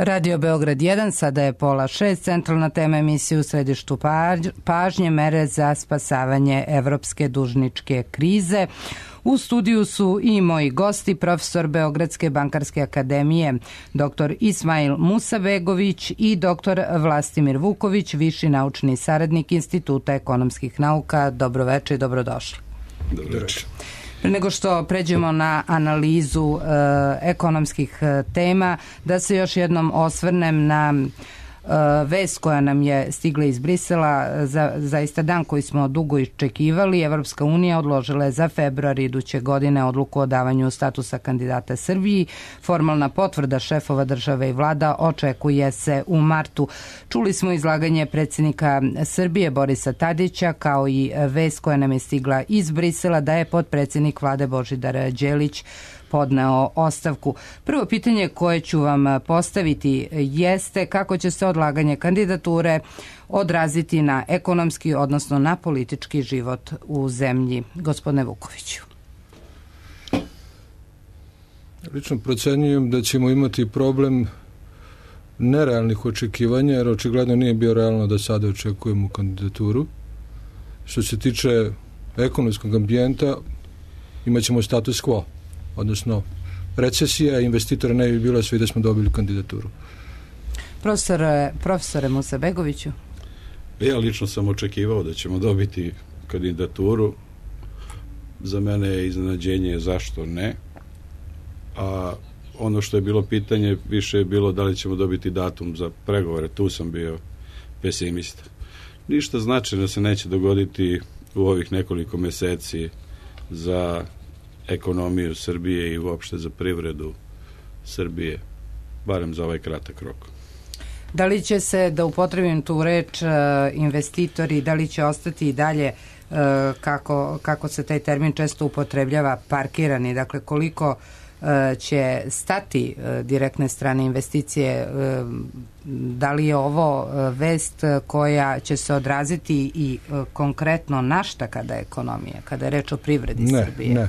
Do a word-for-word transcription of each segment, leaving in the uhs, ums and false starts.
Radio Beograd jedan, sada je pola šest, centralna tema emisije u središtu pažnje, mere za spasavanje evropske dužničke krize. U studiju su i moji gosti, profesor Beogradske bankarske akademije, doktor Ismail Musabegović i doktor Vlastimir Vuković, viši naučni saradnik Instituta ekonomskih nauka. Dobroveče i dobrodošli. Dobroveče. Pre nego što pređemo na analizu e, ekonomskih tema, da se još jednom osvrnem na e, vest koja nam je stigla iz Brisela, za, zaista dan koji smo dugo iščekivali. Evropska unija odložila je za februar iduće godine odluku o davanju statusa kandidata Srbiji. Formalna potvrda šefova države i vlada očekuje se u martu. Čuli smo izlaganje predsjednika Srbije Borisa Tadića, kao i vest koja nam je stigla iz Brisela da je potpredsjednik vlade Božidar Đelić podneo ostavku. Prvo pitanje koje ću vam postaviti jeste kako će se odlaganje kandidature odraziti na ekonomski, odnosno na politički život u zemlji. Gospodine Vukoviću. Lično procenjujem da ćemo imati problem nerealnih očekivanja, jer očigledno nije bio realno da sada očekujemo kandidaturu. Što se tiče ekonomskog ambijenta, imat ćemo status quo, odnosno recesija, investitora ne bi bilo sve da smo dobili kandidaturu. Profesore, profesore Musabegoviću. Ja lično sam očekivao da ćemo dobiti kandidaturu. Za mene je iznenađenje zašto ne. A ono što je bilo pitanje više je bilo da li ćemo dobiti datum za pregovore. Tu sam bio pesimista. Ništa značajno se neće dogoditi u ovih nekoliko meseci za ekonomiju Srbije i uopšte za privredu Srbije, barem za ovaj kratak rok. Da li će se, da upotrebim tu reč, investitori, da li će ostati i dalje, kako, kako se taj termin često upotrebljava, parkirani, dakle koliko će stati direktne strane investicije, da li je ovo vest koja će se odraziti i konkretno na šta kada je ekonomija, kada je reč o privredi ne, Srbije? Ne,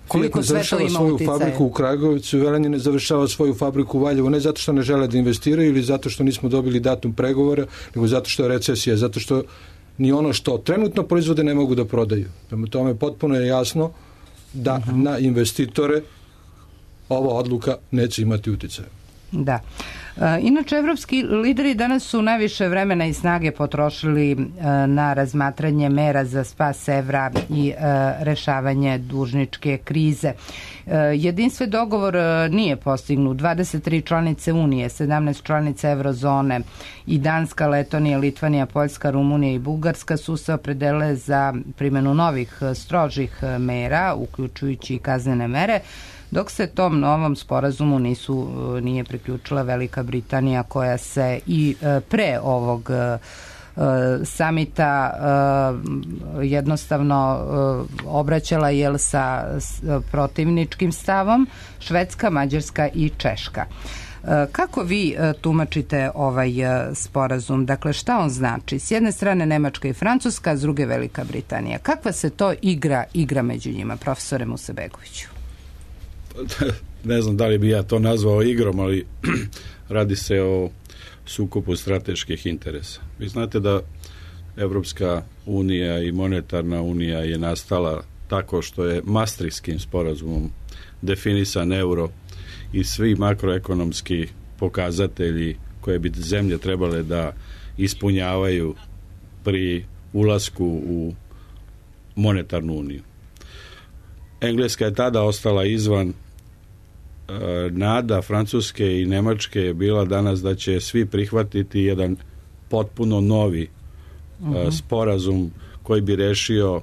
Koliko sve to ima svoju uticaje? fabriku u Kragovicu, Velenje ne završava svoju fabriku u Valjevu, ne zato što ne žele da investiraju ili zato što nismo dobili datum pregovora, nego zato što je recesija, zato što ni ono što trenutno proizvode ne mogu da prodaju. Prema tome potpuno je jasno da uh-huh. na investitore ova odluka neće imati uticaja. Da. E, inače, evropski lideri danas su najviše vremena i snage potrošili e, na razmatranje mera za spas evra i e, rešavanje dužničke krize. E, jedinstven dogovor e, nije postignut. dvadeset tri članice Unije, sedamnaest članica Eurozone i Danska, Letonija, Litvanija, Poljska, Rumunija i Bugarska su se opredelile za primjenu novih strožih mera, uključujući i kaznene mere, dok se tom novom sporazumu nisu, nije priključila Velika Britanija, koja se i pre ovog samita jednostavno obraćala jel sa protivničkim stavom, Švedska, Mađarska i Češka. Kako vi tumačite ovaj sporazum? Dakle, šta on znači? S jedne strane Nemačka i Francuska, s druge Velika Britanija. Kakva se to igra, igra među njima, profesore Musabegoviću? Ne znam da li bi ja to nazvao igrom, ali radi se o sukobu strateških interesa. Vi znate da Evropska unija i monetarna unija je nastala tako što je Maastrichtskim sporazumom definisan euro i svi makroekonomski pokazatelji koje bi zemlje trebale da ispunjavaju pri ulasku u monetarnu uniju. Engleska je tada ostala izvan. Nada Francuske i Nemačke je bila danas da će svi prihvatiti jedan potpuno novi uh-huh. sporazum koji bi rešio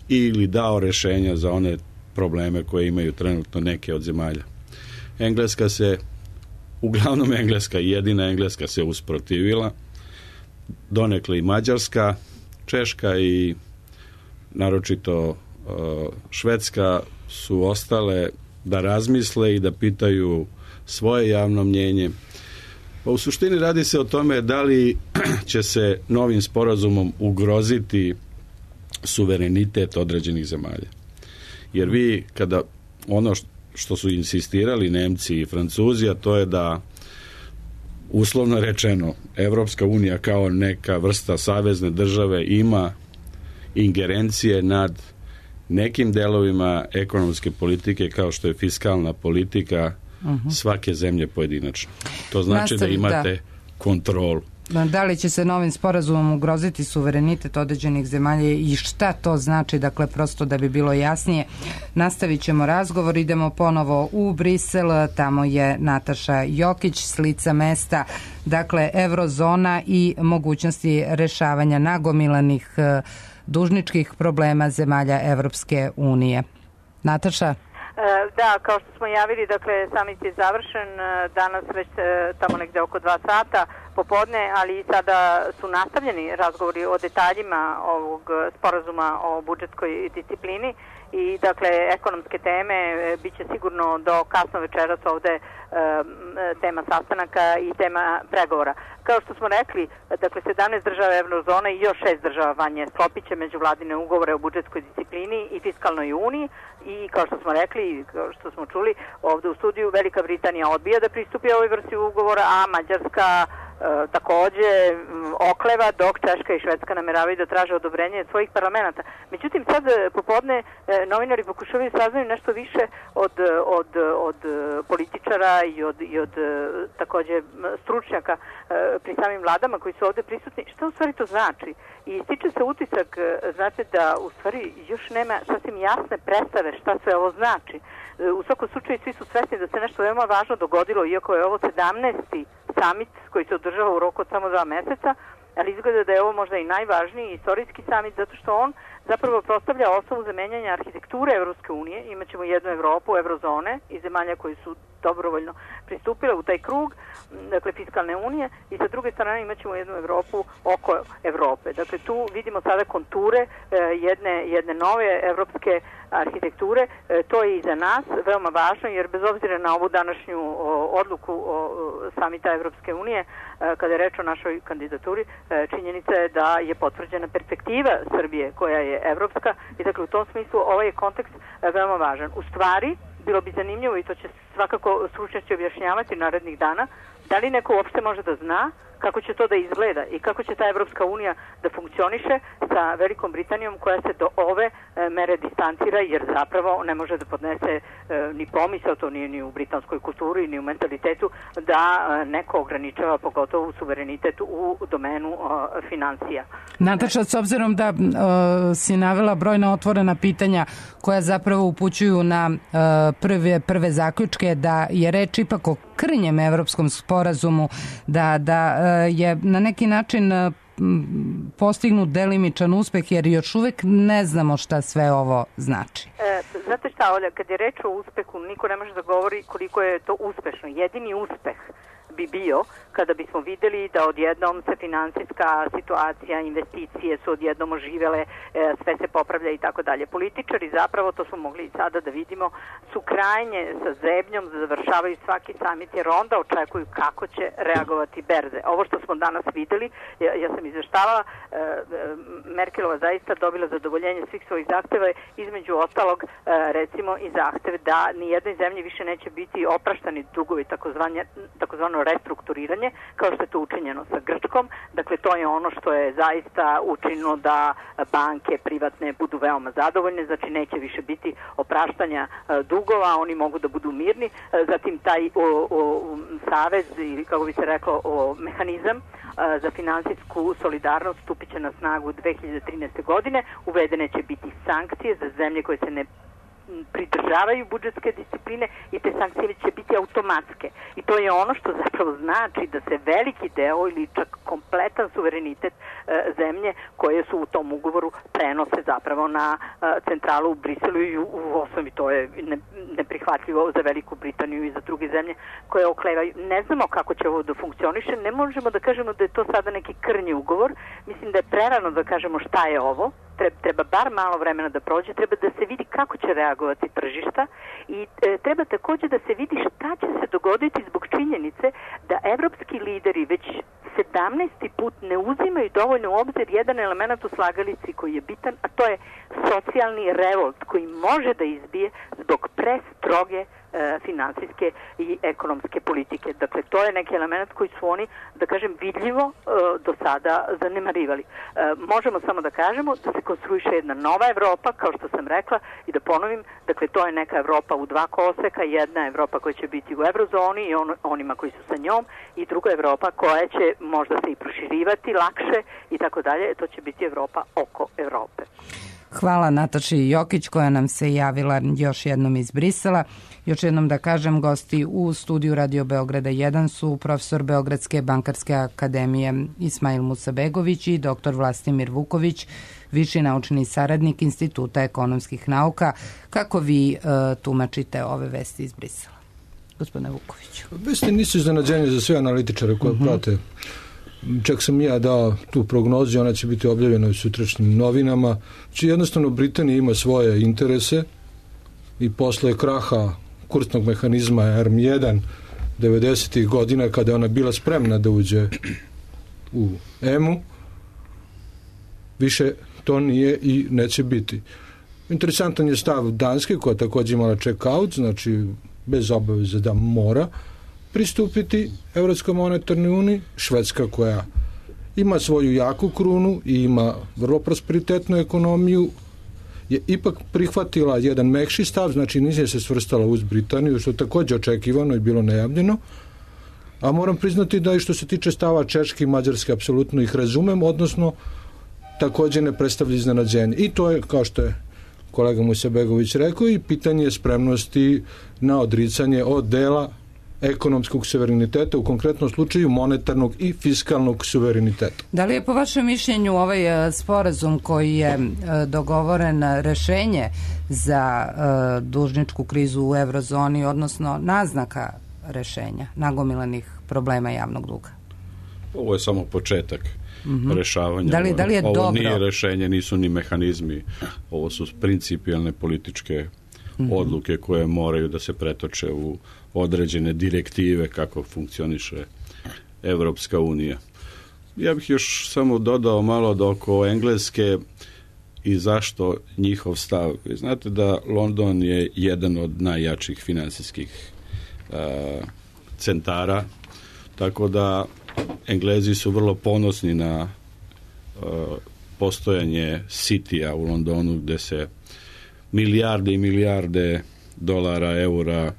ili dao rešenja za one probleme koje imaju trenutno neke od zemalja. Engleska se, uglavnom Engleska, jedina Engleska se usprotivila, donekle i Mađarska, Češka i naročito Švedska su ostale da razmisle i da pitaju svoje javno mnjenje. Pa u suštini radi se o tome da li će se novim sporazumom ugroziti suverenitet određenih zemalja. Jer vi kada ono što su insistirali Nemci i Francuzi, a to je da uslovno rečeno Evropska unija kao neka vrsta savezne države ima ingerencije nad nekim delovima ekonomske politike kao što je fiskalna politika uh-huh. svake zemlje pojedinačno. To znači Nastav, da imate da. kontrolu. Da li će se novim sporazumom ugroziti suverenitet određenih zemalja i šta to znači, dakle prosto da bi bilo jasnije. Nastavit ćemo razgovor, idemo ponovo u Brisel, tamo je Nataša Jokić s lica mesta, dakle eurozona i mogućnosti rešavanja nagomilanih dužničkih problema zemalja Evropske unije. Nataša? Da, kao što smo javili, dakle, samit je završen danas već tamo negde oko dva sata popodne, ali sada su nastavljeni razgovori o detaljima ovog sporazuma o budžetskoj disciplini i, dakle, ekonomske teme bit će sigurno do kasno večeras ovde tema sastanaka i tema pregovora. Kao što smo rekli, dakle, sedamnaest država eurozone i još šest država vanje sklopit će međuvladine ugovore o budžetskoj disciplini i fiskalnoj uniji i, kao što smo rekli, kao što smo čuli ovde u studiju, Velika Britanija odbija da pristupi ovoj vrsti ugovora, a Mađarska E, takođe okleva, dok Češka i Švedska nameravaju da traže odobrenje svojih parlamenta. Međutim, sad popodne e, novinari pokušavaju saznaju nešto više od, od, od političara i od, i od takođe stručnjaka e, pri samim vladama koji su ovde prisutni. Šta u stvari to znači? I stiče se utisak, znate, da u stvari još nema sasvim jasne predstave šta sve ovo znači. E, u svakom slučaju svi su svesni da se nešto veoma važno dogodilo, iako je ovo sedamnaesti samit koji se održava u roku od samo dva meseca, ali izgleda da je ovo možda i najvažniji istorijski samit zato što on zapravo postavlja osnovu za menjanje arhitekture Evropske unije. Imaćemo jednu Evropu, eurozone i zemalja koji su dobrovoljno pristupile u taj krug, dakle fiskalne unije, i sa druge strane imaćemo jednu Evropu oko Evrope. Dakle, tu vidimo sada konture e, jedne, jedne nove evropske arhitekture. E, to je i za nas veoma važno, jer bez obzira na ovu današnju o, odluku o, o samita Evropske unije, e, kada je reč o našoj kandidaturi, e, činjenica je da je potvrđena perspektiva Srbije koja je evropska i dakle u tom smislu ovaj je kontekst e, veoma važan. U stvari, bilo bi zanimljivo, i to će svakako stručnjaci objašnjavati narednih dana, da li neko uopšte može da zna kako će to da izgleda i kako će ta Evropska unija da funkcioniše sa Velikom Britanijom koja se do ove e, mere distancira, jer zapravo ne može da podnese e, ni pomisao, to nije ni u britanskoj kulturi, ni u mentalitetu, da e, neko ograničava pogotovo suverenitet u domenu e, financija. Nataša, s obzirom da e, si navela brojna otvorena pitanja koja zapravo upućuju na e, prve, prve zaključke da je reč ipak o krnjem evropskom sporazumu, da, da je na neki način postignut delimičan uspeh, jer još uvek ne znamo šta sve ovo znači. E, znate šta, Olja, kad je reč o uspehu, niko ne može da govori koliko je to uspešno. Jedini uspeh bi bio kada bismo videli da odjednom se finansijska situacija, investicije su odjednom oživele, e, sve se popravlja i tako dalje. Političari zapravo, to smo mogli i sada da vidimo, su krajnje sa zebnjom, završavaju svaki samit jer onda očekuju kako će reagovati berze. Ovo što smo danas videli, ja, ja sam izveštavala, e, Merkelova zaista dobila zadovoljenje svih svojih zahteva, između ostalog e, recimo i zahtev da nijednoj zemlji više neće biti opraštani dugovi, takozvano restrukturiranje, kao što je to učinjeno sa Grčkom. Dakle, to je ono što je zaista učinilo da banke privatne budu veoma zadovoljne, znači neće više biti opraštanja e, dugova, oni mogu da budu mirni. E, zatim taj o, o, savez, ili kako bi se reklo, o, mehanizam e, za finansijsku solidarnost stupit će na snagu dve hiljade trinaeste. godine. Uvedene će biti sankcije za zemlje koje se ne pridržavaju budžetske discipline i te sankcije će biti automatske. I to je ono što zapravo znači da se veliki deo ili čak kompletan suverenitet e, zemlje koje su u tom ugovoru prenose zapravo na e, centralu u Briselu i u, u osnovi to je ne, neprihvatljivo za Veliku Britaniju i za druge zemlje koje oklevaju. Ne znamo kako će ovo da funkcioniše, ne možemo da kažemo da je to sada neki krnji ugovor. Mislim da je prerano da kažemo šta je ovo. Treba bar malo vremena da prođe, treba da se vidi kako će reagovati tržišta i e, treba takođe da se vidi šta će se dogoditi zbog činjenice da evropski lideri već sedamnaesti put ne uzimaju dovoljno u obzir jedan element u slagalici koji je bitan, a to je socijalni revolt koji može da izbije zbog prestroge finansijske i ekonomske politike. Dakle, to je neki element koji su oni, da kažem, vidljivo do sada zanemarivali. Možemo samo da kažemo da se konstruiše jedna nova Evropa, kao što sam rekla, i da ponovim, dakle, to je neka Evropa u dva koloseka, jedna Evropa koja će biti u eurozoni i on, onima koji su sa njom, i druga Evropa koja će možda se i proširivati lakše i tako dalje, to će biti Evropa oko Evrope. Hvala Nataši Jokić koja nam se javila još jednom iz Brisela. Još jednom da kažem, gosti u studiju Radio Beograda jedan su profesor Beogradske bankarske akademije Ismail Musabegović i doktor Vlastimir Vuković, viši naučni saradnik Instituta ekonomskih nauka. Kako vi uh, tumačite ove vesti iz Brisela? Gospodine Vukoviću. Vesti nisu iznenađenje za sve analitičare koje uh-huh. prate. Čak sam ja dao tu prognozu, ona će biti objavljena u sutrašnjim novinama. Či jednostavno Britanija ima svoje interese i posle kraha kursnog mehanizma R M jedan devedesetih godina, kada je ona bila spremna da uđe u E M U, više to nije i neće biti. Interesantan je stav Danske, koja također imala check-out, znači bez obaveze da mora pristupiti Evropskoj monetarnoj uniji. Švedska, koja ima svoju jaku krunu i ima vrlo prosperitetnu ekonomiju, je ipak prihvatila jedan mekši stav, znači nije se svrstala uz Britaniju, što je također očekivano i bilo najavljeno. A moram priznati da i što se tiče stava Češke i Mađarske, apsolutno ih razumem, odnosno također ne predstavlja iznenađenje. I to je, kao što je kolega Musabegović rekao, i pitanje spremnosti na odricanje od dela ekonomskog suvereniteta, u konkretnom slučaju monetarnog i fiskalnog suvereniteta. Da li je po vašem mišljenju ovaj sporazum koji je dogovoren rešenje za dužničku krizu u eurozoni, odnosno naznaka rešenja nagomilanih problema javnog duga? Ovo je samo početak mm-hmm. rešavanja. Da li, da li je ovo dobro? Nije rešenje, nisu ni mehanizmi. Ovo su principijalne političke mm-hmm. odluke koje moraju da se pretoče u određene direktive kako funkcioniše Evropska unija. Ja bih još samo dodao malo da oko Engleske i zašto njihov stav. Znate da London je jedan od najjačih finansijskih uh, centara, tako da Englezi su vrlo ponosni na uh, postojanje Citya u Londonu, gde se milijarde i milijarde dolara, eura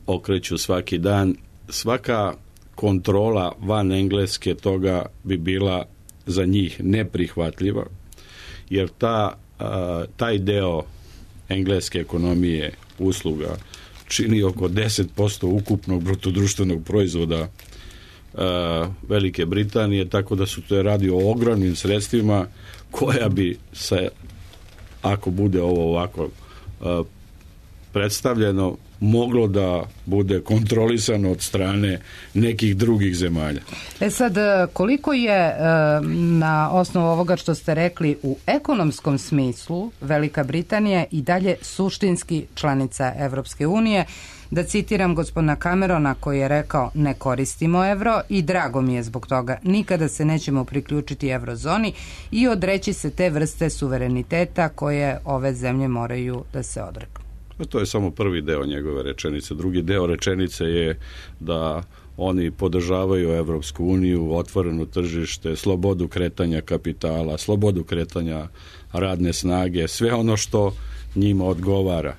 okreću svaki dan. Svaka kontrola van Engleske toga bi bila za njih neprihvatljiva, jer ta, a, taj deo engleske ekonomije usluga čini oko deset posto ukupnog brutodruštvenog proizvoda a, Velike Britanije, tako da su to radi o ogromnim sredstvima koja bi se, ako bude ovo ovako a, predstavljeno, moglo da bude kontrolisano od strane nekih drugih zemalja. E sad, koliko je na osnovu ovoga što ste rekli u ekonomskom smislu Velika Britanija i dalje suštinski članica Evropske unije? Da citiram gospodina Camerona koji je rekao: ne koristimo evro i drago mi je zbog toga. Nikada se nećemo priključiti eurozoni i odreći se te vrste suvereniteta koje ove zemlje moraju da se odreknu. To je samo prvi deo njegove rečenice. Drugi deo rečenice je da oni podržavaju Evropsku uniju, otvoreno tržište, slobodu kretanja kapitala, slobodu kretanja radne snage, sve ono što njima odgovara.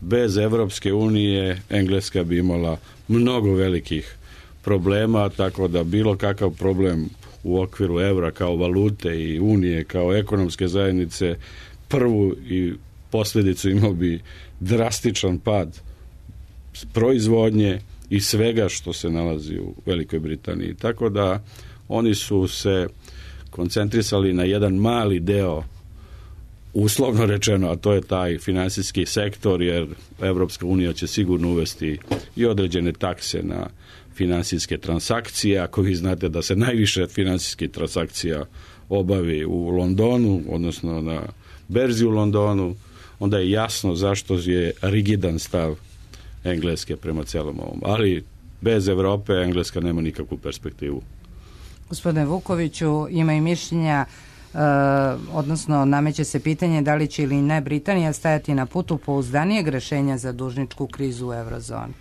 Bez Evropske unije Engleska bi imala mnogo velikih problema, tako da bilo kakav problem u okviru evra kao valute i unije kao ekonomske zajednice, prvu i posljedicu imao bi drastičan pad proizvodnje i svega što se nalazi u Velikoj Britaniji. Tako da oni su se koncentrisali na jedan mali deo, uslovno rečeno, a to je taj finansijski sektor, jer Evropska unija će sigurno uvesti i određene takse na finansijske transakcije. Ako vi znate da se najviše finansijskih transakcija obavi u Londonu, odnosno na berzi u Londonu, onda je jasno zašto je rigidan stav Engleske prema celom ovom. Ali bez Evrope Engleska nema nikakvu perspektivu. Gospodine Vukoviću, ima i mišljenja odnosno nameće se pitanje da li će ili ne Britanija stajati na putu pouzdanijeg rešenja za dužničku krizu u eurozoni.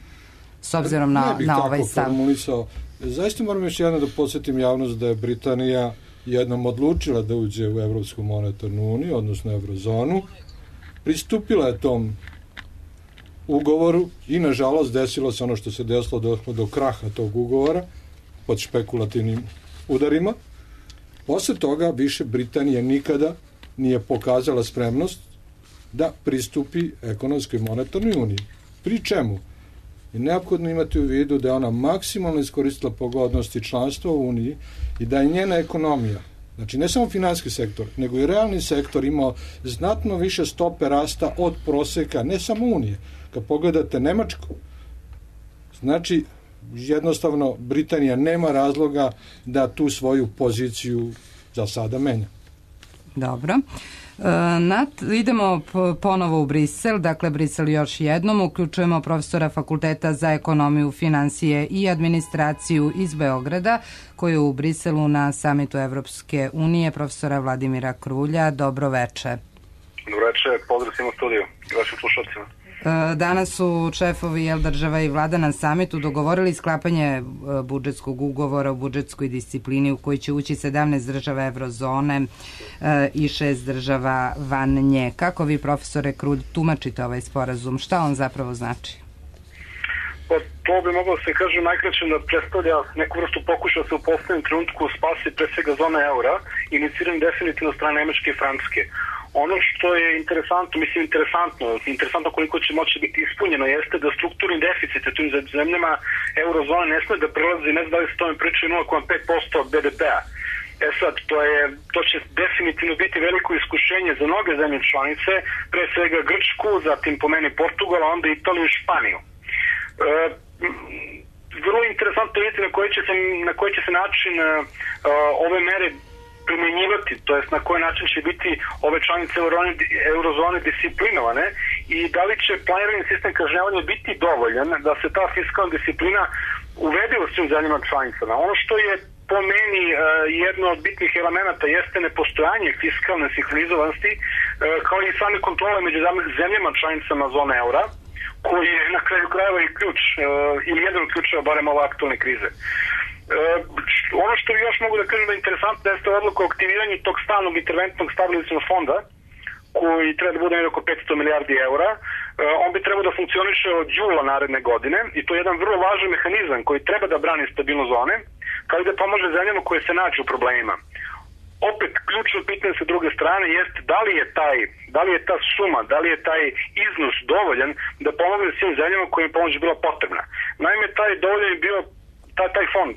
S obzirom na, na ovaj stav. Formulisao. Zaista moram još jedno da podsjetim javnost da je Britanija jednom odlučila da uđe u Evropsku monetarnu uniju, odnosno eurozonu. Pristupila je tom ugovoru i nažalost desilo se ono što se desilo do, do kraha tog ugovora pod špekulativnim udarima. Posle toga više Britanija nikada nije pokazala spremnost da pristupi ekonomskoj monetarnoj uniji. Pri čemu je neophodno imati u vidu da je ona maksimalno iskoristila pogodnosti članstva u Uniji i da je njena ekonomija, znači ne samo finansijski sektor, nego i realni sektor imao znatno više stope rasta od proseka, ne samo Unije. Kad pogledate Nemačku, znači jednostavno Britanija nema razloga da tu svoju poziciju za sada menja. Dobro. Nat, idemo ponovo u Brisel, dakle Brisel još jednom, uključujemo profesora Fakulteta za ekonomiju, finansije i administraciju iz Beograda, koji je u Briselu na samitu Evropske unije, profesora Vladimira Krulja. Dobro veče. Dobro veče, pozdrav svima u studiju i vašim slušalcima. Danas su šefovi jel, država i vlada na samitu dogovorili sklapanje budžetskog ugovora o budžetskoj disciplini u koji će ući sedamnaest država eurozone i šest država van nje. Kako vi, profesore Krulj, tumačite ovaj sporazum? Šta on zapravo znači? Pa, to bi moglo se kaže najkraće da predstavlja neku vrstu pokušaja da se u poslednjem trenutku spasi pre svega zona eura, iniciran definitivno strane Nemačke i Francuske. Ono što je interesantno, mislim interesantno, interesantno koliko će moći biti ispunjeno jeste da strukturni deficit u tim zemljama eurozone ne sme da prelazi, ne znam da li se tome pričaju nula zarez pet posto B D P-a. E sad, to, je, to će definitivno biti veliko iskušenje za mnoge zemlje članice, pre svega Grčku, zatim po meni Portugal, a onda Italiju i Španiju. E, vrlo interesantno vidjeti na koji će se, na koji će se način uh, ove mere primjenjivati, to jest na koji način će biti ove članice eurozone disciplinovane i da li će planirani sistem kažnjavanja biti dovoljan da se ta fiskalna disciplina uvede u svim zemljama članicama. Ono što je po meni uh, jedno od bitnih elemenata jeste nepostojanje fiskalne sinhronizovanosti uh, kao i same kontrole među zemljama članicama zone eura, koji je na kraju krajeva i ključ uh, ili jedan od ključeva barem ove aktualne krize. Uh, ono što još mogu da kažem da je interesantno jeste odluka o aktiviranju tog stalnog interventnog stabilizacionog fonda koji treba da bude nekako oko petsto milijardi eura. Uh, on bi trebao da funkcioniše od jula naredne godine i to je jedan vrlo važan mehanizam koji treba da brani stabilnost zone kao i da pomaže zemljama koje se nađu u problemima. Opet, ključno pitanje sa druge strane jeste da li je taj, da li je ta suma, da li je taj iznos dovoljan da pomogne svim zemljama kojim pomoć bila potrebna. Naime, taj dovoljan je bio taj, taj fond,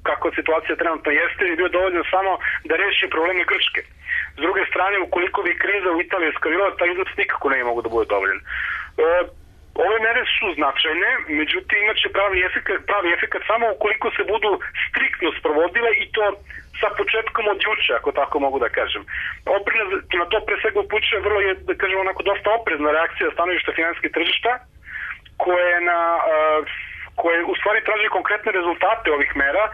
kako situacija trenutno jeste, je bio dovoljan samo da reši probleme Grčke. S druge strane, ukoliko bi kriza u Italiji eskalirala, taj iznos nikako ne mogu da bude dovoljan. E, ove mere su značajne, međutim imaće pravi efekat, pravi efekat samo ukoliko se budu striktno sprovodile i to sa početkom od juče, ako tako mogu da kažem. Oprez, na to pre svega upućuje vrlo je, da kažem, onako dosta oprezna reakcija stanovišta finansijskih tržišta, koje na uh, koje u stvari traži konkretne rezultate ovih mera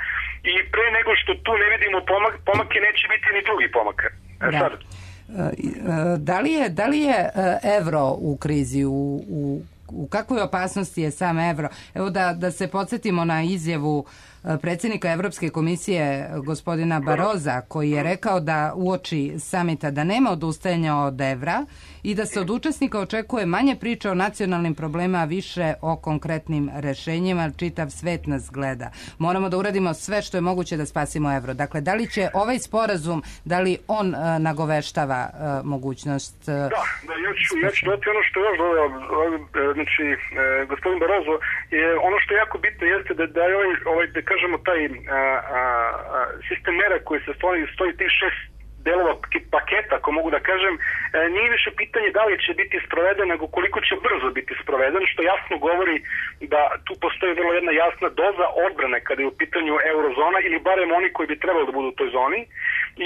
i pre nego što tu ne vidimo pomak, pomake, neće biti ni drugi pomaka. E, da. sad. Da li je, da li je evro u krizi, u, u, u kakvoj opasnosti je sam evro? Evo da, da se podsjetimo na izjavu predsjednika Evropske komisije gospodina Baroza, koji je rekao da uoči samita da nema odustajanja od evra i da se od učesnika očekuje manje priče o nacionalnim problemima, a više o konkretnim rešenjima. Čitav svet nas gleda. Moramo da uradimo sve što je moguće da spasimo evro. Dakle, da li će ovaj sporazum, da li on uh, nagoveštava uh, mogućnost... Uh, da, da, ja ću, ja ću dati ono što je još dodao. Znači, uh, gospodin Barozo, je, ono što je jako bitno jeste da, da je ovaj, ovaj da kažemo, taj a, a, a, sistem mera koji se stoji, stoji tih šest delova paketa, ako mogu da kažem, e, nije više pitanje da li će biti sproveden, nego koliko će brzo biti sproveden, što jasno govori da tu postoji vrlo jedna jasna doza odbrane kada je u pitanju eurozona ili barem oni koji bi trebali da budu u toj zoni.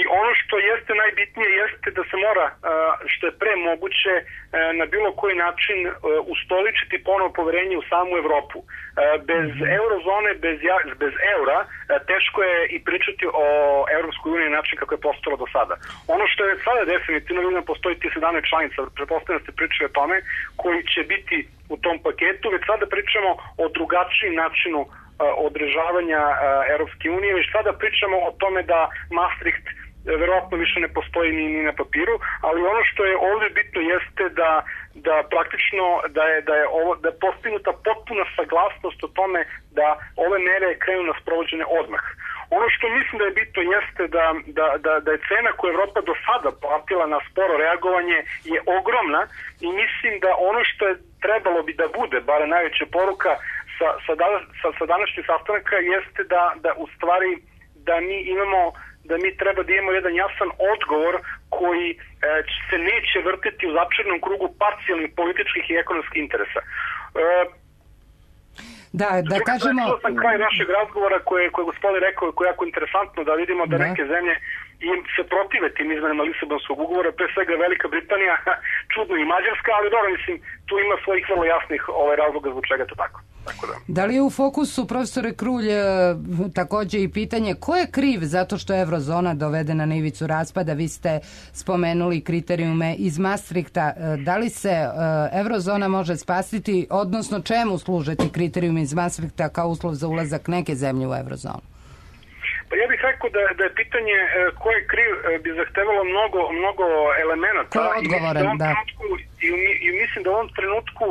I ono što jeste najbitnije jeste da se mora, a, što je pre moguće, a, na bilo koji način a, ustoličiti ponovo poverenje u samu Evropu. A, bez eurozone, bez, bez eura, a, teško je i pričati o Evropskoj uniji na način kako je postalo do sada. sada. Ono što je sada definitivno, vidimo, postoji ti sedamnaest članica, pretpostavljam da ste pričali o tome, koji će biti u tom paketu, već sada pričamo o drugačijem načinu uh, održavanja uh, Europske unije, već sada pričamo o tome da Maastricht verovatno više ne postoji ni, ni na papiru, ali ono što je ovdje bitno jeste da, da praktično da je, da je ovo da je postignuta potpuna saglasnost o tome da ove mere krenu na sprovođenje odmah. Ono što mislim da je bitno jeste da, da, da, da je cena koju Evropa do sada platila na sporo reagovanje je ogromna i mislim da ono što je trebalo bi da bude, bar najveća poruka sa, sa, sa, sa današnjeg sastanka jeste da, da u stvari da mi imamo da mi treba da imamo jedan jasan odgovor koji e, se neće vrtiti u začarnom krugu parcijalnih političkih i ekonomskih interesa. E, da, da kažemo... Čuo sam kraj našeg razgovora koje, koje je gospodin rekao, koje je jako interesantno da vidimo da, da. neke zemlje im se protive tim izmenama Lisabonskog ugovora, pre svega Velika Britanija, čudno i Mađarska, ali dobro, mislim, tu ima svojih vrlo jasnih ovaj, razloga zbog čega to tako. Tako da. Da li je u fokusu, profesore Krulj, također i pitanje ko je kriv zato što je eurozona dovedena na ivicu raspada? Vi ste spomenuli kriterijume iz Maastrichta. Da li se eurozona može spasiti, odnosno čemu služe ti kriterijumi iz Maastrichta kao uslov za ulazak neke zemlje u eurozonu? Pa ja bih rekao da, da je pitanje ko je kriv bi zahtevalo mnogo, mnogo elemenata. Ko je odgovoran, da. I, I mislim da u ovom trenutku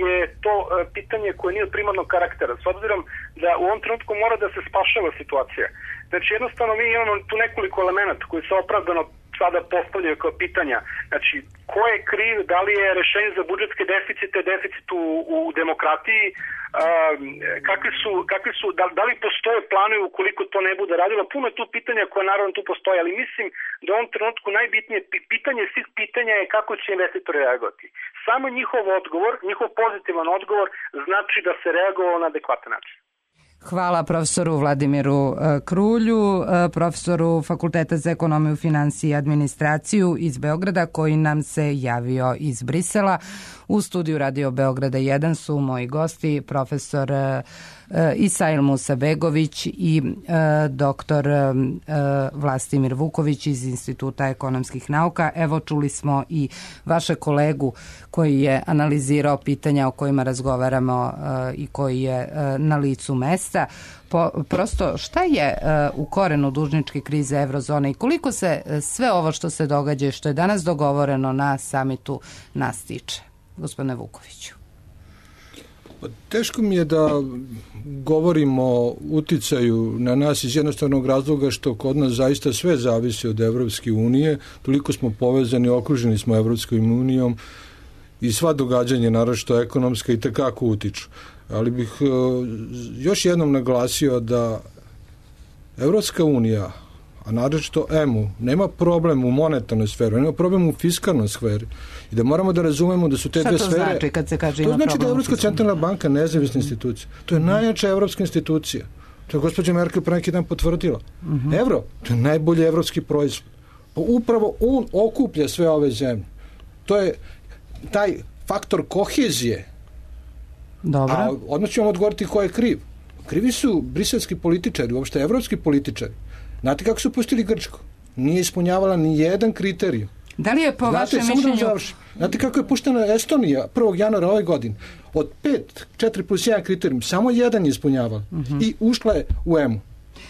je to pitanje koje nije od primarnog karaktera. S obzirom da u ovom trenutku mora da se spašava situacija. Znači jednostavno mi imamo tu nekoliko elemenata koji se opravdano sada postavljaju kao pitanja. Znači, ko je kriv, da li je rešenje za budžetske deficite, deficit u, u demokratiji, uh, kakvi su, kakvi su da, da li postoje planovi ukoliko to ne bude radilo. Puno je tu pitanja koje naravno tu postoje, ali mislim da u ovom trenutku najbitnije pitanje svih pitanja je kako će investitori reagovati. Samo njihov odgovor, njihov pozitivan odgovor znači da se reagovalo na adekvatan način. Hvala profesoru Vladimiru Krulju, profesoru Fakulteta za ekonomiju, financije i administraciju iz Beograda, koji nam se javio iz Brisela. U studiju Radio Beograda jedan su moji gosti, profesor Isail Musabegović i doktor Vlastimir Vuković iz Instituta ekonomskih nauka. Evo, čuli smo i vaše kolegu koji je analizirao pitanja o kojima razgovaramo i koji je na licu mesta. Po, prosto, šta je u korenu dužničke krize eurozone i koliko se sve ovo što se događa i što je danas dogovoreno na samitu nas tiče? Gospodine Vukoviću. Teško mi je da govorimo o uticaju na nas iz jednostavnog razloga što kod nas zaista sve zavisi od Evropske unije, toliko smo povezani, okruženi smo Evropskom unijom i sva događanja, naročito ekonomska, i tekako utiču. Ali bih uh, još jednom naglasio da Evropska unija, a naročito E M U, nema problem u monetarnoj sferi, nema problem u fiskalnoj sferi. I da moramo da razumemo da su te dve sfere... Šta to znači kad se kaže ima problem? To znači da je Evropska centralna banka nezavisna institucija. To je mm-hmm. najjača evropska institucija. To je gospođa Merkel pre neki dan potvrdila. Mm-hmm. Evro, to je najbolji evropski proizvod. Pa upravo on okuplja sve ove zemlje. To je taj faktor kohezije. Dobro. A odmah ću vam odgovoriti ko je kriv. Krivi su briselski političari, uopšte evropski političari. Znate kako su pustili Grčku? Nije ispunjavala ni jedan kriterij. Da li je po Znate, vašem mišljenju... Znate kako je puštena Estonija prvog januara ove godine? Od pet, četiri plus jedan kriterijum, samo jedan je ispunjavala. Uh-huh. I ušla je u E M U.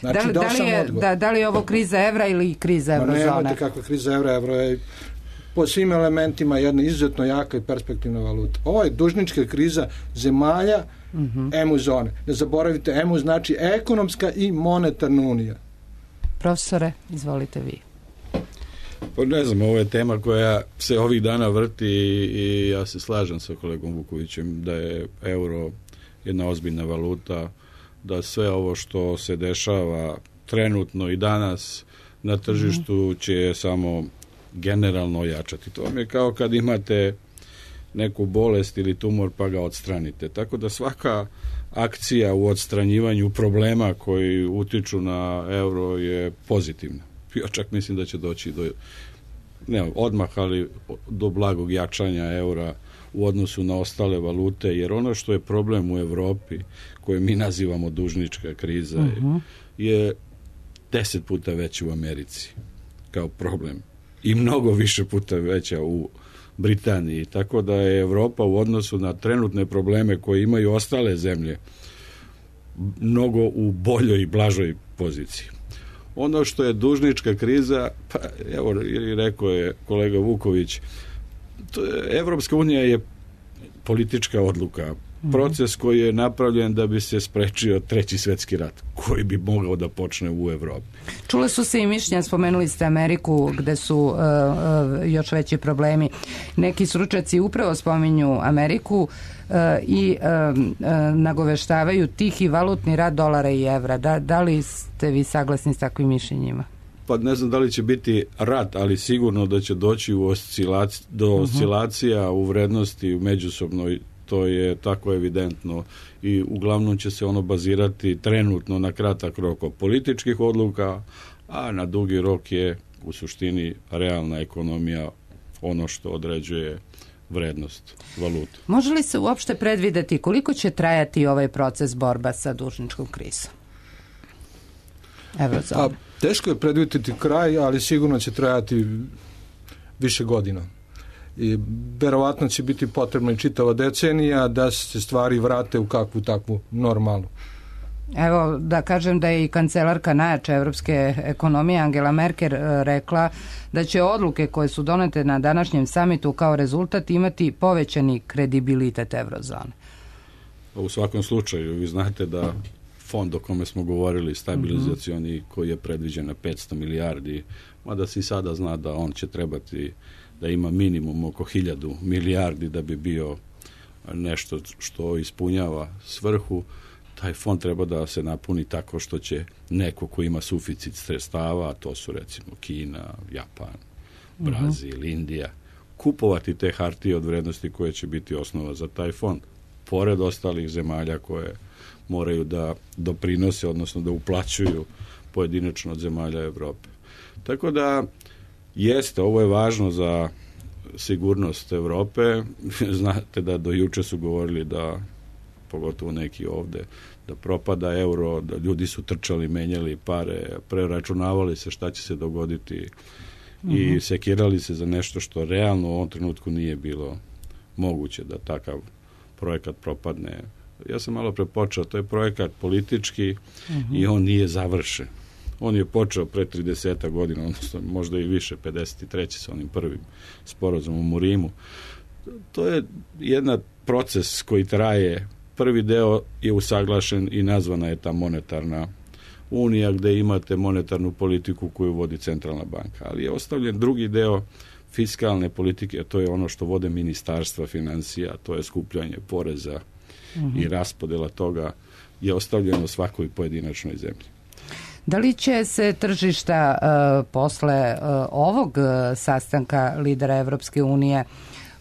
Znači, da, da, li je, da, da li je ovo kriza evra ili kriza eurozone? Ma nemate kakva kriza evra, evro je po svim elementima jedna izuzetno jaka i perspektivna valuta. Ovo je dužnička kriza zemalja uh-huh. E M U zone. Ne zaboravite, E M U znači ekonomska i monetarna unija. Profesore, izvolite vi. Pa ne znam, ovo je tema koja se ovih dana vrti i ja se slažem sa kolegom Vukovićem da je euro jedna ozbiljna valuta, da sve ovo što se dešava trenutno i danas na tržištu će samo generalno ojačati. To vam je kao kad imate neku bolest ili tumor pa ga odstranite. Tako da svaka akcija u odstranjivanju problema koji utiču na euro je pozitivna. Ja čak mislim da će doći do, ne odmah, ali do blagog jačanja eura u odnosu na ostale valute, jer ono što je problem u Evropi, koje mi nazivamo dužnička kriza, uh-huh. je deset puta veći u Americi. kao problem i mnogo više puta veća u Britaniji, tako da je Evropa u odnosu na trenutne probleme koje imaju ostale zemlje mnogo u boljoj i blažoj poziciji. Ono što je dužnička kriza, pa evo rekao je kolega Vuković, to je, Evropska unija je politička odluka, proces koji je napravljen da bi se sprečio treći svjetski rat, koji bi mogao da počne u Evropi. Čule su se i mišljenja, spomenuli ste Ameriku, gde su uh, uh, još veći problemi. Neki stručnjaci upravo spominju Ameriku uh, i uh, uh, nagoveštavaju tihi valutni rat dolara i evra. Da, da li ste vi saglasni s takvim mišljenjima? Pa ne znam da li će biti rat, ali sigurno da će doći u oscilac, do uh-huh. oscilacija u vrednosti u međusobnoj. To je tako evidentno i uglavnom će se ono bazirati trenutno na kratak rok od političkih odluka, a na dugi rok je u suštini realna ekonomija ono što određuje vrednost valute. Može li se uopšte predvideti koliko će trajati ovaj proces borba sa dužničkom krizom? Eurozona. Teško je predvidjeti kraj, ali sigurno će trajati više godina. I verovatno će biti potrebna i čitava decenija da se stvari vrate u kakvu takvu normalnu. Evo, da kažem da je i kancelarka najjače evropske ekonomije Angela Merkel rekla da će odluke koje su donete na današnjem samitu kao rezultat imati povećani kredibilitet eurozone. U svakom slučaju, vi znate da fond o kome smo govorili, stabilizacioni, mm-hmm. koji je predviđen na petsto milijardi, mada se i sada zna da on će trebati da ima minimum oko hiljadu milijardi da bi bio nešto što ispunjava svrhu. Taj fond treba da se napuni tako što će neko ko ima suficit sredstava, a to su recimo Kina, Japan, Brazil, uh-huh. Indija, kupovati te hartije od vrednosti koje će biti osnova za taj fond, pored ostalih zemalja koje moraju da doprinose, odnosno da uplaćuju pojedinačno od zemalja Evrope. Tako da jeste, ovo je važno za sigurnost Evrope. Znate da do juče su govorili da, pogotovo neki ovde, da propada euro, da ljudi su trčali, menjali pare, preračunavali se šta će se dogoditi mm-hmm. i sekirali se za nešto što realno u ovom trenutku nije bilo moguće da takav projekat propadne. Ja sam malo prepočeo, to je projekat politički mm-hmm. i on nije završen. On je počeo pre trideset godina, odnosno možda i više, pedeset treće sa onim prvim sporazumom u Rimu. To je jedan proces koji traje. Prvi deo je usaglašen i nazvana je ta monetarna unija, gde imate monetarnu politiku koju vodi centralna banka. Ali je ostavljen drugi deo fiskalne politike, a to je ono što vode ministarstva financija, to je skupljanje poreza mm-hmm. i raspodela toga je ostavljeno svakoj pojedinačnoj zemlji. Da li će se tržišta uh, posle uh, ovog uh, sastanka lidera Evropske unije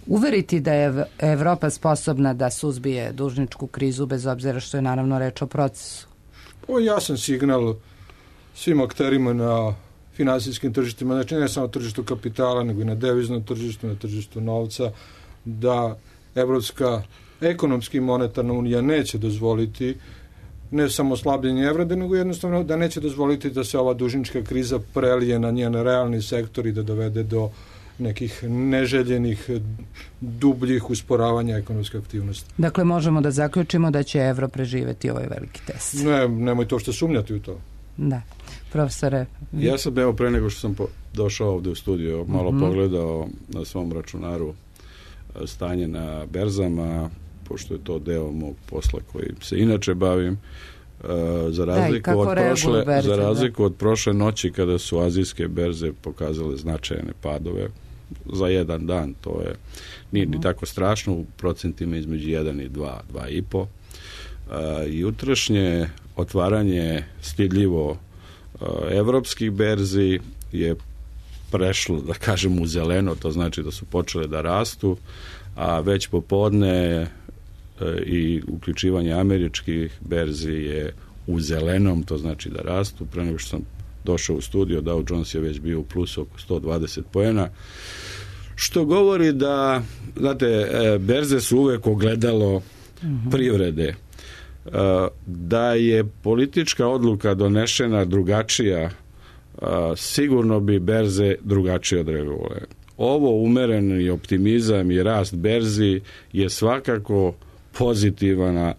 uveriti da je Evropa sposobna da suzbije dužničku krizu, bez obzira što je naravno reč o procesu? Ovo je jasan signal svim akterima na finansijskim tržištima, znači ne samo tržištu kapitala, nego i na deviznom tržištu, na tržištu novca, da Evropska ekonomska i monetarna unija neće dozvoliti ne samo slabljenje evra, nego jednostavno da neće dozvoliti da se ova dužnička kriza prelije na njen realni sektor i da dovede do nekih neželjenih, dubljih usporavanja ekonomske aktivnosti. Dakle, možemo da zaključimo da će evro preživeti ovaj veliki test. Ne, nemoj to što sumnjati u to. Da. Profesore. Vi... Ja sam evo pre nego što sam po, došao ovde u studio, malo mm-hmm. pogledao na svom računaru stanje na berzama, pošto je to deo mog posla koji se inače bavim, uh, za razliku, da, od, prošle, berze, za razliku od prošle noći kada su azijske berze pokazale značajne padove za jedan dan, to je nije ni tako strašno, u procentima između jedan i dva, dva i po. Uh, jutrašnje otvaranje stidljivo uh, evropskih berzi je prešlo, da kažem, u zeleno, to znači da su počele da rastu, a već popodne i uključivanje američkih berzi je u zelenom, to znači da rastu. Pre nego što sam došao u studio, Dow Jones je već bio u plusu oko sto dvadeset poena, što govori da, znate, berze su uvek ogledalo mm-hmm. privrede. Da je politička odluka donešena drugačija a, sigurno bi berze drugačije odreagovale. Ovo umereni optimizam i rast berzi je svakako pozitivan,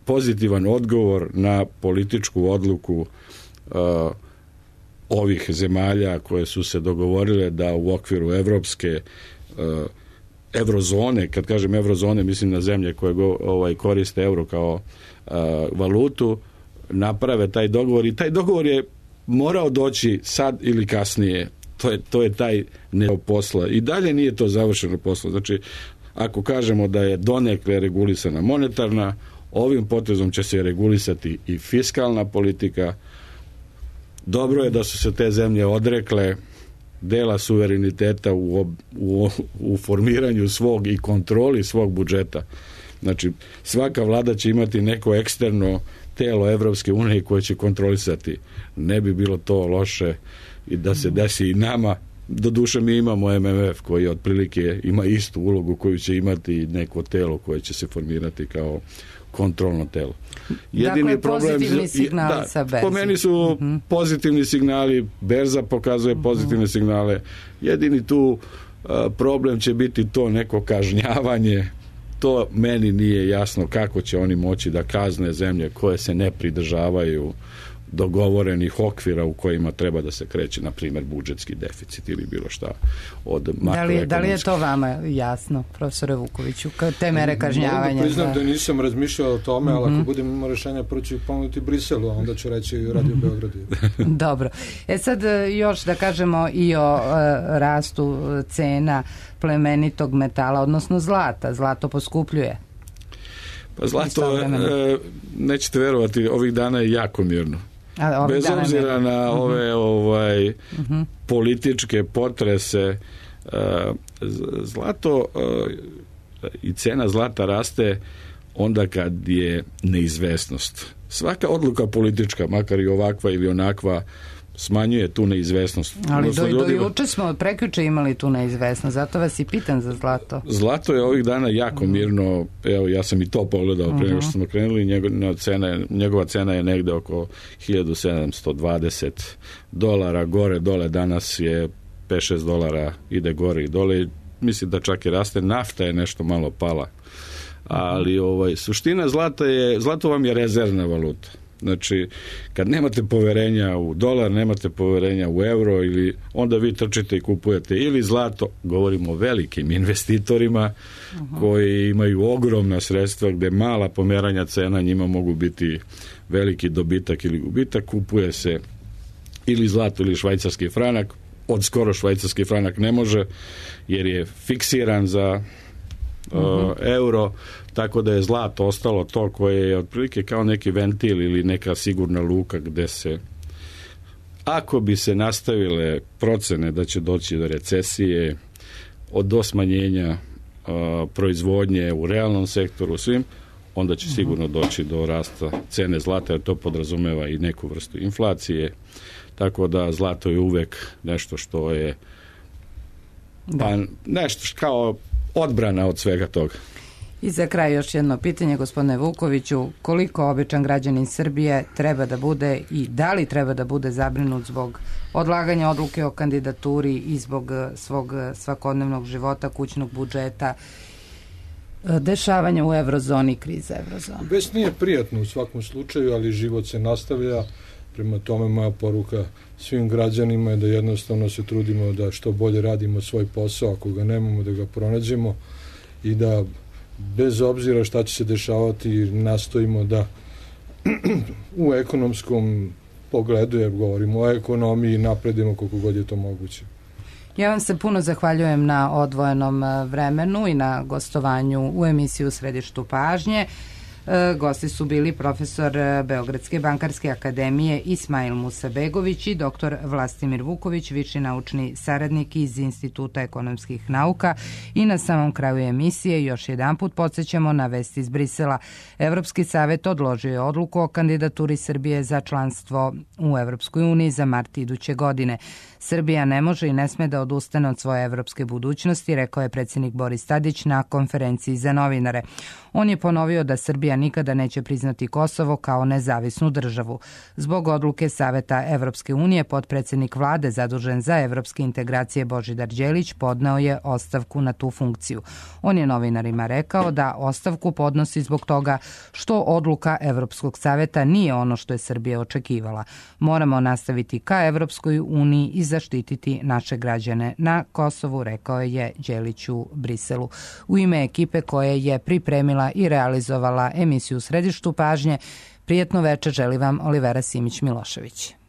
pozitivan odgovor na političku odluku a, ovih zemalja koje su se dogovorile da u okviru evropske a, eurozone, kad kažem eurozone, mislim na zemlje koje go, ovaj, koriste euro kao a, valutu, naprave taj dogovor i taj dogovor je morao doći sad ili kasnije. To je, to je taj ne posla. I dalje nije to završeno posla. Znači, ako kažemo da je donekle regulisana monetarna, ovim potezom će se regulisati i fiskalna politika. Dobro je da su se te zemlje odrekle dela suvereniteta u, u, u formiranju svog i kontroli svog budžeta. Znači, svaka vlada će imati neko eksterno telo Evropske unije koje će kontrolisati. Ne bi bilo to loše i da se desi i nama. Doduše mi imamo M M F koji otprilike ima istu ulogu koju će imati neko telo koje će se formirati kao kontrolno telo. Jedini dakle, problem, pozitivni signali da, sa berze. Po meni su uh-huh. pozitivni signali, berza pokazuje pozitivne uh-huh. signale. Jedini tu uh, problem će biti to neko kažnjavanje. To meni nije jasno kako će oni moći da kazne zemlje koje se ne pridržavaju dogovorenih okvira u kojima treba da se kreće, na primjer, budžetski deficit ili bilo šta od makroekonomskih. Da li, da li je to vama jasno, profesore Vukoviću, te mere kažnjavanja? Mogu priznam da... da nisam razmišljao o tome, ali mm-hmm. ako budem imao rešenja, prvo ću ponuditi Briselu, a onda ću reći i Radio Beogradu. Dobro. E sad još da kažemo i o uh, rastu cena plemenitog metala, odnosno zlata. Zlato poskupljuje. Pa zlato, e, nećete verovati, ovih dana je jako mirno. A, bez obzira na uh-huh. ove ovaj, uh-huh. političke potrese, uh, zlato uh, i cena zlata raste onda kad je neizvesnost. Svaka odluka politička, makar i ovakva ili onakva, smanjuje tu neizvesnost. Ali do, do juče smo, prekjuče imali tu neizvesnost, zato vas i pitam za zlato. Zlato je ovih dana jako mirno, evo ja sam i to pogledao uh-huh. pre nego što smo krenuli, njegova cena, njegova cena je negde oko hiljadu sedamsto dvadeset dolara, gore, dole, danas je pet šest dolara, ide gore i dole, mislim da čak i raste, nafta je nešto malo pala, ali ovaj, suština zlata je, zlato vam je rezervna valuta. Znači, kad nemate poverenja u dolar, nemate poverenja u euro, ili onda vi trčite i kupujete ili zlato, govorimo o velikim investitorima uh-huh. koji imaju ogromna sredstva gde mala pomeranja cena njima mogu biti veliki dobitak ili gubitak, kupuje se ili zlato ili švajcarski franak. Od skoro švajcarski franak ne može jer je fiksiran za uh-huh. uh, euro, tako da je zlato ostalo to koje je otprilike kao neki ventil ili neka sigurna luka gde se, ako bi se nastavile procene da će doći do recesije, od do smanjenja uh, proizvodnje u realnom sektoru svim, onda će sigurno doći do rasta cene zlata, jer to podrazumeva i neku vrstu inflacije, tako da zlato je uvek nešto što je pa, nešto kao odbrana od svega toga. I za kraj još jedno pitanje, gospodine Vukoviću, koliko običan građanin Srbije treba da bude i da li treba da bude zabrinut zbog odlaganja odluke o kandidaturi i zbog svog svakodnevnog života, kućnog budžeta, dešavanja u eurozoni, krize eurozone? Već nije prijatno u svakom slučaju, ali život se nastavlja. Prema tome moja poruka svim građanima je da jednostavno se trudimo da što bolje radimo svoj posao, ako ga nemamo da ga pronađemo i da bez obzira šta će se dešavati nastojimo da u ekonomskom pogledu, jer govorimo o ekonomiji, napredimo koliko god je to moguće. Ja vam se puno zahvaljujem na odvojenom vremenu i na gostovanju u emisiju Središtu pažnje. Gosti su bili profesor Beogradske bankarske akademije Ismail Musabegović i doktor Vlastimir Vuković, viši naučni saradnik iz Instituta ekonomskih nauka. I na samom kraju emisije još jedan put podsjećamo na vesti iz Brisela. Evropski savet odložio je odluku o kandidaturi Srbije za članstvo u Evropskoj uniji za mart iduće godine. Srbija ne može i ne sme da odustane od svoje evropske budućnosti, rekao je predsjednik Boris Tadić na konferenciji za novinare. On je ponovio da Srbija Srbija nikada neće priznati Kosovo kao nezavisnu državu. Zbog odluke Saveta Evropske unije, potpredsednik vlade zadužen za evropske integracije Božidar Đelić podneo je ostavku na tu funkciju. On je novinarima rekao da ostavku podnosi zbog toga što odluka Evropskog saveta nije ono što je Srbija očekivala. Moramo nastaviti ka Evropskoj uniji i zaštititi naše građane na Kosovu, rekao je Đelić u Briselu. U ime ekipe koja je pripremila i realizovala emisiju u središtu pažnje, prijetno veče želi vam Olivera Simić-Milošević.